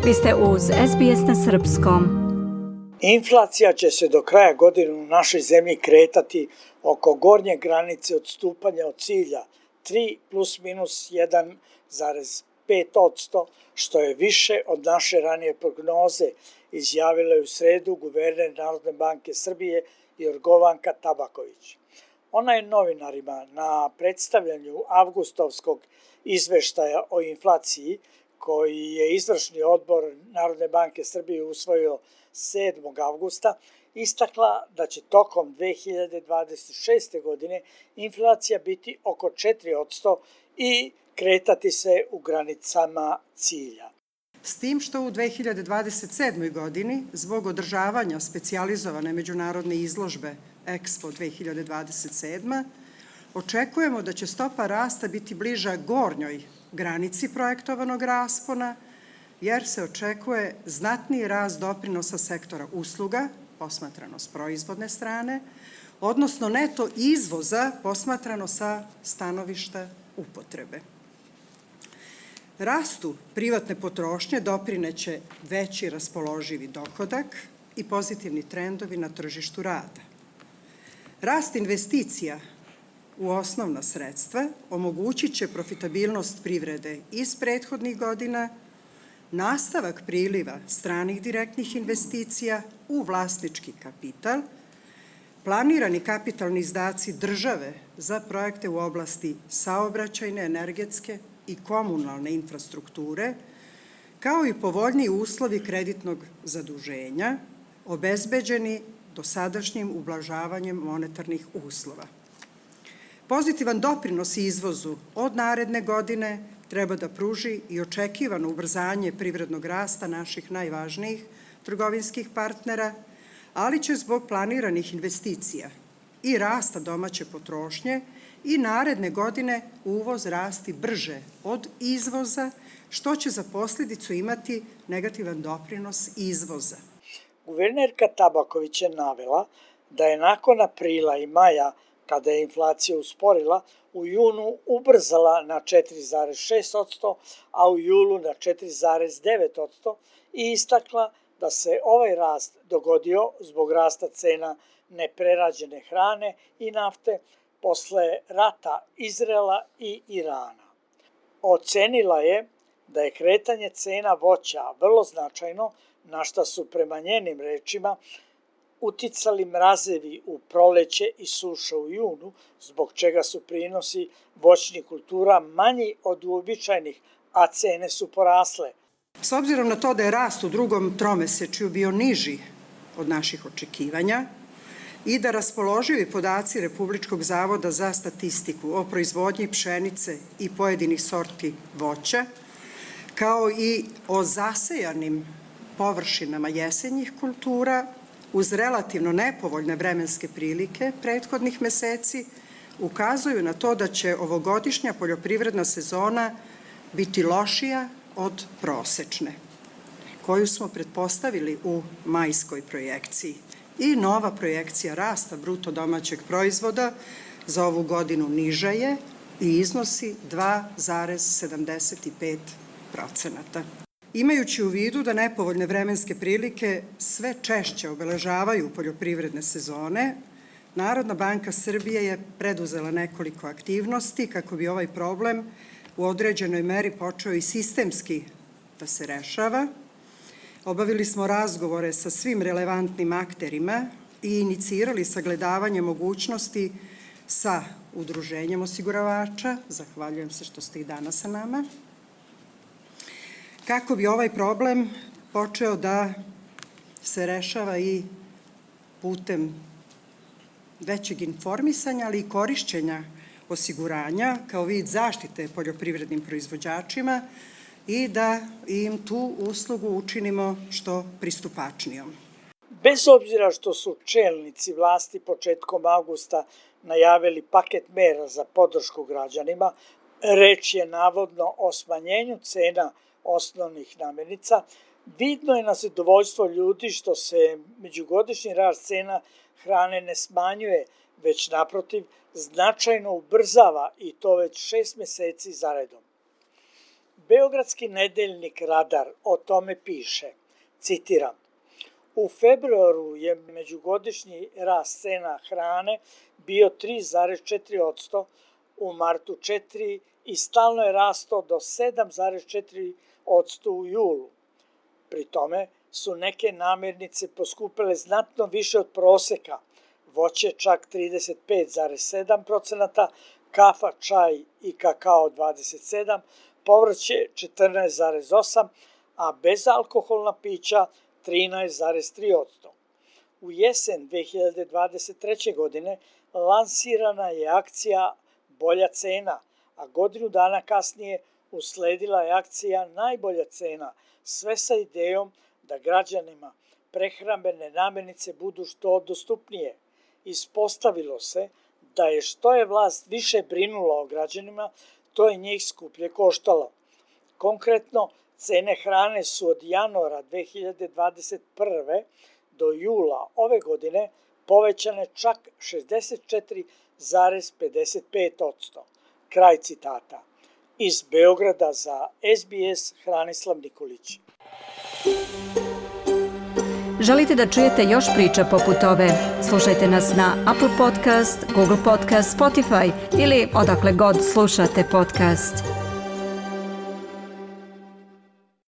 Vi ste uz SBS na srpskom. Inflacija će se do kraja godine u našoj zemlji kretati oko gornje granice odstupanja od cilja 3 plus minus 1,5%, što je više od naše ranije prognoze, izjavila je u sredu guverner Narodne banke Srbije Jorgovanka Tabaković. Ona je novinarima na predstavljanju avgustovskog izveštaja o inflaciji, koji je izvršni odbor Narodne banke Srbije usvojio 7. avgusta, istakla da će tokom 2026. godine inflacija biti oko 4% i kretati se u granicama cilja. S tim što u 2027. godini, zbog održavanja specijalizovane međunarodne izložbe Expo 2027, očekujemo da će stopa rasta biti bliža gornjoj granici projektovanog raspona, jer se očekuje znatniji rast doprinosa sektora usluga, posmatrano s proizvodne strane, odnosno neto izvoza posmatrano sa stanovišta upotrebe. Rastu privatne potrošnje doprineće veći raspoloživi dohodak i pozitivni trendovi na tržištu rada. Rast investicija u osnovna sredstva omogućit će profitabilnost privrede iz prethodnih godina, nastavak priliva stranih direktnih investicija u vlasnički kapital, planirani kapitalni izdaci države za projekte u oblasti saobraćajne, energetske i komunalne infrastrukture, kao i povoljniji uslovi kreditnog zaduženja, obezbeđeni dosadašnjim ublažavanjem monetarnih uslova. Pozitivan doprinos izvozu od naredne godine treba da pruži i očekivano ubrzanje privrednog rasta naših najvažnijih trgovinskih partnera, ali će zbog planiranih investicija i rasta domaće potrošnje i naredne godine uvoz rasti brže od izvoza, što će za posljedicu imati negativan doprinos izvoza. Guvernerka Tabaković je navela da je nakon aprila i maja, kada je inflacija usporila, u junu ubrzala na 4,6%, a u julu na 4,9% i istakla da se ovaj rast dogodio zbog rasta cena neprerađene hrane i nafte posle rata Izraela i Irana. Ocenila je da je kretanje cena voća vrlo značajno, na šta su prema njenim rečima uticali mrazevi u proleće i suša u junu, zbog čega su prinosi voćnih kultura manji od uobičajenih, a cene su porasle. S obzirom na to da je rast u drugom tromesečju bio niži od naših očekivanja i da raspoloživi podaci Republičkog zavoda za statistiku o proizvodnji pšenice i pojedinih sorti voća, kao i o zasejanim površinama jesenjih kultura, uz relativno nepovoljne vremenske prilike prethodnih meseci, ukazuju na to da će ovogodišnja poljoprivredna sezona biti lošija od prosečne, koju smo pretpostavili u majskoj projekciji. I nova projekcija rasta bruto domaćeg proizvoda za ovu godinu niža je i iznosi 2,75%. Imajući u vidu da nepovoljne vremenske prilike sve češće obeležavaju poljoprivredne sezone, Narodna banka Srbije je preduzela nekoliko aktivnosti kako bi ovaj problem u određenoj meri počeo i sistemski da se rešava. Obavili smo razgovore sa svim relevantnim akterima i inicirali sagledavanje mogućnosti sa udruženjem osiguravača, zahvaljujem se što ste i danas sa nama, kako bi ovaj problem počeo da se rešava i putem većeg informisanja, ali i korišćenja osiguranja kao vid zaštite poljoprivrednim proizvođačima i da im tu uslugu učinimo što pristupačnijom. Bez obzira što su čelnici vlasti početkom avgusta najavili paket mera za podršku građanima, reč je navodno o smanjenju cena osnovnih namirnica, vidno je na zadovoljstvo ljudi što se međugodišnji rast cena hrane ne smanjuje, već naprotiv značajno ubrzava i to već 6 meseci zaredom. Beogradski nedeljnik Radar o tome piše, citiram, u februaru je međugodišnji rast cena hrane bio 3,4%, u martu 4% i stalno je rasto do 7,4% u julu. Pri tome su neke namirnice poskupele znatno više od proseka, voće čak 35,7%, kafa, čaj i kakao 27%, povrće 14,8%, a bezalkoholna pića 13,3%. U jesen 2023. godine lansirana je akcija Bolja cena, a godinu dana kasnije usledila je akcija Najbolja cena, sve sa idejom da građanima prehrambene namirnice budu što dostupnije. Ispostavilo se da je što je vlast više brinula o građanima, to je njih skuplje koštalo. Konkretno, cene hrane su od januara 2021. do jula ove godine povećane čak 64,55%. Kraj citata. Iz Beograda za SBS Hranislav Nikolić. Želite da čujete još priča poput ove? Slušajte nas na Apple Podcast, Google Podcast, Spotify ili odakle god slušate podcast.